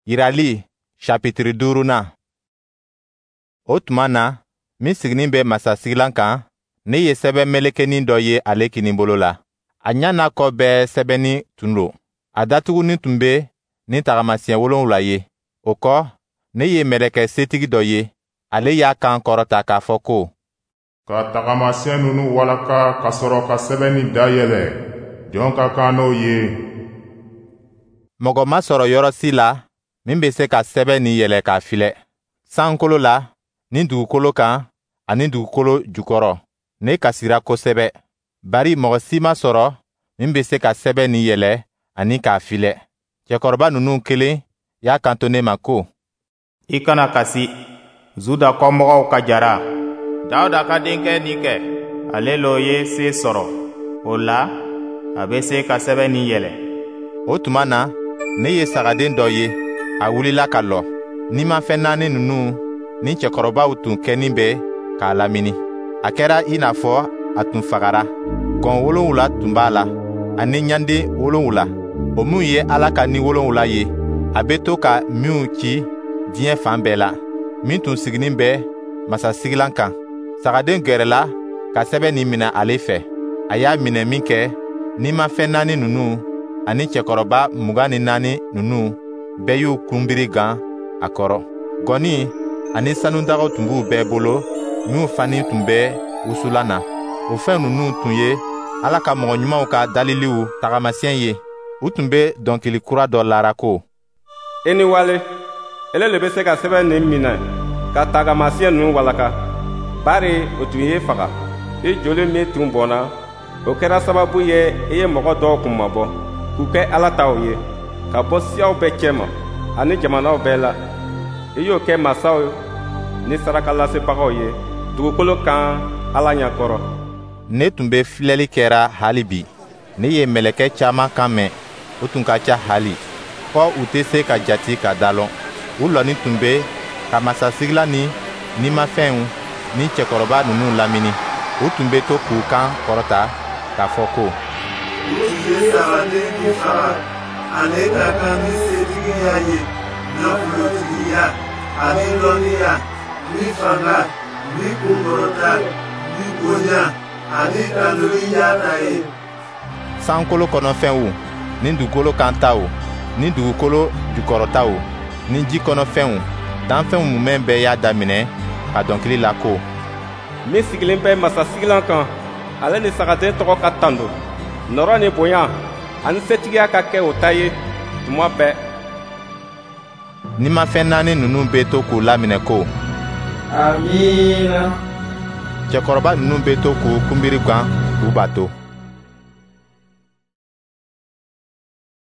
Yirali sapitiri duurunan. O tuma na, min siginin bɛ masasigilan kan, ne ye sɛbɛn melekenin dɔ ye ale kininbolo la. A ɲa n'a kɔ bɛɛ sɛbɛnnin tun don. A datugunin tun bɛ ni tagamasiyɛn wolonwula ye. O kɔ, ne ye mɛlɛkɛ setigi dɔ ye, ale y'a kan kɔrɔta k'a fɔ ko: Ka tagamasiyɛn ninnu walaka ka sɔrɔ ka sɛbɛn nin dayɛlɛ, jɔn ka kan n'o ye? Mɔgɔ ma sɔrɔ yɔrɔ si la min bɛ se ka sɛbɛn nin yɛlɛ k'a filɛ, sankolo la, ni dugukolo kan, ani dugukolo jukɔrɔ. Ne kasira kosɛbɛ, bari mɔgɔ si ma sɔrɔ min bɛ se ka sɛbɛn nin yɛlɛ ani k'a filɛ. Cɛkɔrɔba ninnu kelen y'a kanto ne ma ko: I kana kasi. Zuda kɔmɔgɔw ka jara, Dawuda ka denkɛ nin kɛ, ale lo ye se sɔrɔ. O la, a bɛ se ka sɛbɛn nin yɛlɛ. O tuma na, ne ye sagaden dɔ ye, a wulila ka lɔ. Nimafɛn naani ninnu ni cɛkɔrɔbaw tun kɛnin bɛ k'a lamini. A kɛra i n'a fɔ a tun fagara. Gɔn wolonwula tun b'a la, ani ɲanden wolonwula, o minw ye Ala ka Ni wolonwula ye, a bɛ to ka minw ci diɲɛ fan bɛɛ la. Min tun siginin bɛ masasigilan kan, sagaden gɛrɛla ka sɛbɛn nin minɛ ale fɛ. A y'a minɛ minkɛ, nimafɛn naani ninnu ani cɛkɔrɔba 24 ninnu bɛɛ y'u kunbiri gan a kɔrɔ. Gɔni ani sanudagaw tun b'u bɛɛ bolo minw fani tun bɛ wusulan na. O fɛn ninnu tun ye Ala ka mɔgɔ ɲumanw ka daliliw tagamasiyɛn ye. U tun bɛ dɔnkili kura dɔ lara ko: I ni wale, ele le bɛ se ka sɛbɛn nin minɛ ka tagamasiyɛn ninnu walaka, bari o tun ye faga. I joli min tun bɔnna, o kɛra sababu ye i ye mɔgɔ dɔw kunmabɔ, k'u kɛ Ala taw ye, ka bɔ siyaw bɛɛ cɛma ani jamanaw bɛɛ la. I y'o kɛ masaw ni sarakalasebagaw ye dugukolo kan Ala ɲɛkɔrɔ. Ne tun bɛ filɛli kɛra hali bi. Ne ye mɛlɛkɛ caman kan mɛn, u tun ka ca hali, fɔ u tɛ se ka jati ka da lɔn. U lɔnin tun bɛ ka masasigilan ni nimafɛnw ni cɛkɔrɔba ninnu lamini. U tun bɛ to k'u kan kɔrɔta k'a fɔ ko: O tun ye sagaden min faga, ale ka kan ni setigiya ye, nafolotigiya ani lɔnniya ni fanga ni kunkɔrɔta ni bonya ani tanuli y'a ta ye. Sankolo kɔnɔfɛnw ni dugukolo kan taw ni dugukolo jukɔrɔtaw ni ji kɔnɔfɛnw, danfɛnw mumɛ bɛɛ y'a daminɛ ka dɔnkili la ko: Min sigilen bɛ masasigilan kan, ale ni sagaden tɔgɔ ka tando. Nɔɔrɔ ni bonya ani setigiya ka kɛ o ta ye tuma bɛɛ. Nimafɛn naani ninnu bɛ to k'u laminɛ ko: Amiina. Cɛkɔrɔba ninnu bɛ to k'u kunbiri gan k'u bato.